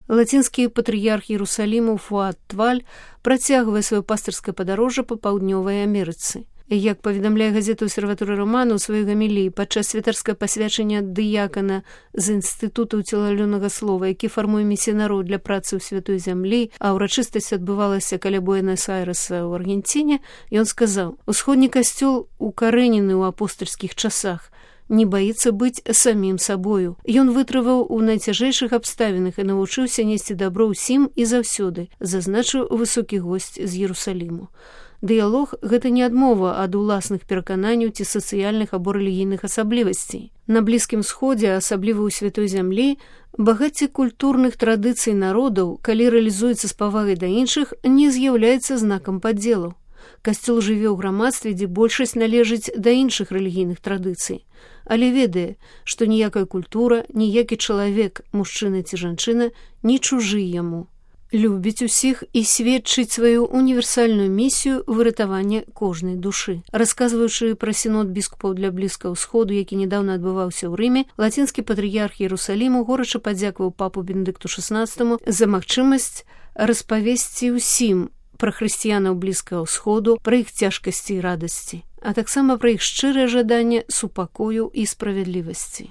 Лацінскі патрыярх Іерусаліму Фуад Тваль працягвае сваё пастырскае падарожжа па паўднёвай Амерыцы. Як паведамляе газета «Обсерватория Романа» ў сваёй гаміліі падчас святарскага пасвячання дыякана з інстытуту ўцелаўлёнага слова, які фармуе місіянараў для працы ў святой зямлі, а ўрачыстасць адбывалася каля Буэнас-Айрэса ў Аргенціне, ён сказаў: «Усходні касцёл укарэнены ў апостальскіх часах, не баіцца быць самім сабою. Ён вытрываў у найцяжэйшых абставінах і навучыўся несці дабро ўсім і заўсёды», зазначыў высокі госць з Іерусаліму. Дыялог – гэта не адмова ад уласных перакананняў ці сацыяльных або рэлігійных асаблівасцей. На Блізкім Сходзе, асабліва ў святой зямлі, багацце культурных традыцый народаў, калі рэалізуецца з павагай да іншых, не з'яўляецца знакам падзелу. Касцёл жыве ў грамадстве, дзе большасць належыць да іншых рэлігійных традыцый, але ведае, што ніякая культура, ніякі чалавек, мужчына ці жанчына, не чужы яму. Любіць усіх і сведчыць сваю універсальную місію выратавання кожнай душы. Расказваючы пра сінод біскупаў для Блізкага ўсходу, які нядаўна адбываўся ў Рыме, лацінскі патрыярх Іерусаліму горача падзякаваў папу Бенедыкту XVI за магчымасць распавесці ўсім пра хрысціянаў Блізкага ўсходу, пра іх цяжкасці і радасці, а таксама пра іх шчырае жаданне супакою і справядлівасці.